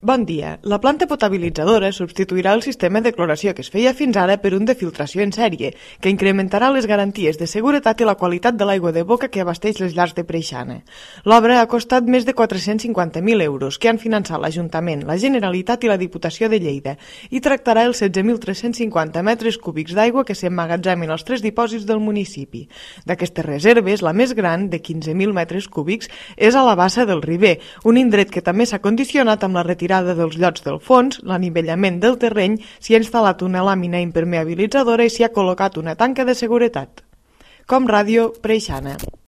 Bon dia. La planta potabilitzadora substituirà el sistema de cloració que es feia fins ara per un de filtració en sèrie, que incrementarà les garanties de seguretat i la qualitat de l'aigua de boca que abasteix les llars de Preixana. L'obra ha costat més de 450.000 euros, que han finançat l'Ajuntament, la Generalitat i la Diputació de Lleida, i tractarà els 16.350 metres cúbics d'aigua que s'emmagatzemen als 3 dipòsits del municipi. D'aquestes reserves, la més gran, de 15.000 metres cúbics, és a la bassa del Riber, un indret que també s'ha condicionat amb la retirada dels llots del fons, l'anivellament del terreny, s'hi ha instal·lat una làmina impermeabilitzadora i s'hi ha col·locat una tanca de seguretat. Com Ràdio, Preixana.